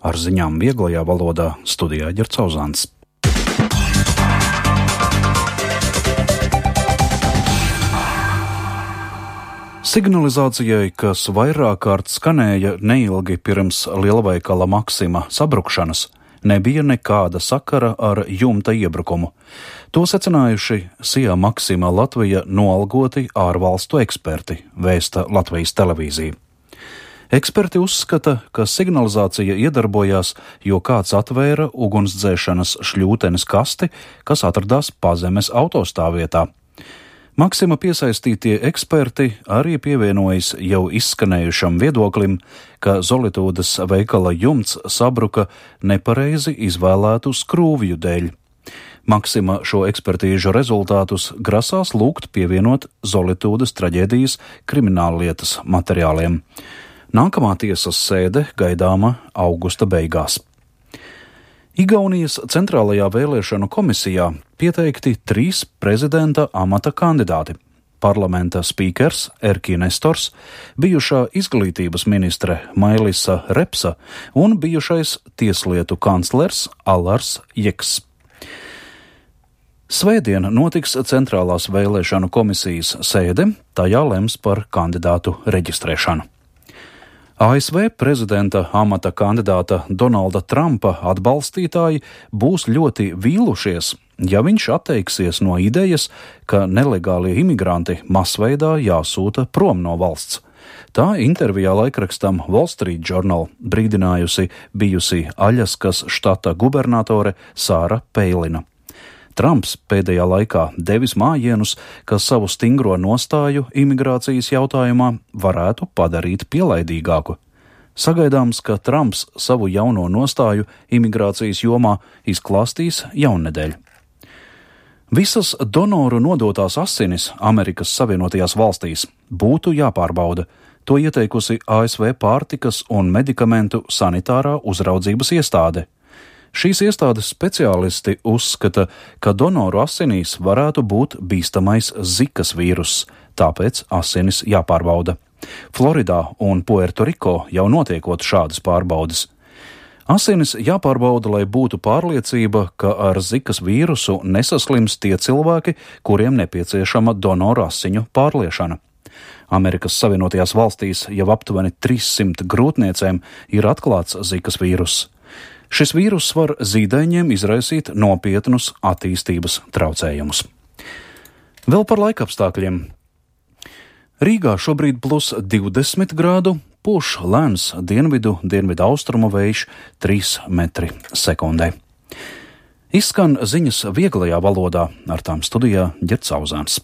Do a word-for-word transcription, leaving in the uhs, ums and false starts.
Ar ziņām vieglajā valodā studijā Ģerts Auzāns. Signalizācijai, kas vairāk kārt skanēja neilgi pirms lielveikala Maxima sabrukšanas, nebija nekāda sakara ar jumta iebrukumu. To secinājuši Sija Maxima Latvija noalgoti ārvalstu eksperti, vēsta Latvijas televīzija. Eksperti uzskata, ka signalizācija iedarbojās, jo kāds atvēra ugunsdzēšanas šļūtenes kasti, kas atradās pazemes autostāvvietā. Maxima piesaistītie eksperti arī pievienojas jau izskanējušam viedoklim, ka Zolitūdes veikala jumts sabruka nepareizi izvēlētu skrūvju dēļ. Maxima šo ekspertīžu rezultātus grasās lūgt pievienot Zolitūdes traģēdijas krimināllietas materiāliem. Nākamā tiesas sēde gaidāma augusta beigās. Igaunijas centrālajā vēlēšanu komisijā pieteikti trīs prezidenta amata kandidāti – parlamenta spīkers Erki Nestors, bijušā izglītības ministre Mailisa Repsa un bijušais tieslietu kanclers Allars Jeks. Svētdien notiks centrālās vēlēšanu komisijas sēde, tajā lems par kandidātu reģistrēšanu. A S V prezidenta amata kandidāta Donalda Trumpa atbalstītāji būs ļoti vīlušies, ja viņš atteiksies no idejas, ka nelegālie imigranti masveidā jāsūta prom no valsts. Tā intervijā laikrakstam Wall Street Journal brīdinājusi bijusi Aļaskas štata gubernatore Sāra Peilina. Trumps pēdējā laikā devis mājienus, ka savu stingro nostāju imigrācijas jautājumā varētu padarīt pielaidīgāku. Sagaidāms, ka Trumps savu jauno nostāju imigrācijas jomā izklāstīs jaunnedēļ. Visas donoru nodotās asinis Amerikas Savienotajās valstīs būtu jāpārbauda. To ieteikusi A S V pārtikas un medikamentu sanitārā uzraudzības iestāde. Šīs iestādes speciālisti uzskata, ka donoru asinīs varētu būt bīstamais zikas vīruss, tāpēc asinis jāpārbauda. Floridā un Puertoriko jau notiekot šādas pārbaudes. Asinis jāpārbauda, lai būtu pārliecība, ka ar zikas vīrusu nesaslims tie cilvēki, kuriem nepieciešama donoru asiņu pārliešana. Amerikas Savienotajās valstīs jau aptuveni trīssimt grūtniecēm ir atklāts zikas vīruss. Šis vīruss var zīdaiņiem izraisīt nopietnus attīstības traucējumus. Vēl par laikapstākļiem. Rīgā šobrīd plus divdesmit grādu, pūš lēns dienvidu, dienvidu austrumu vējš trīs metri sekundē. Izskan ziņas vieglajā valodā, ar tām studijā Ģerts Auzāns.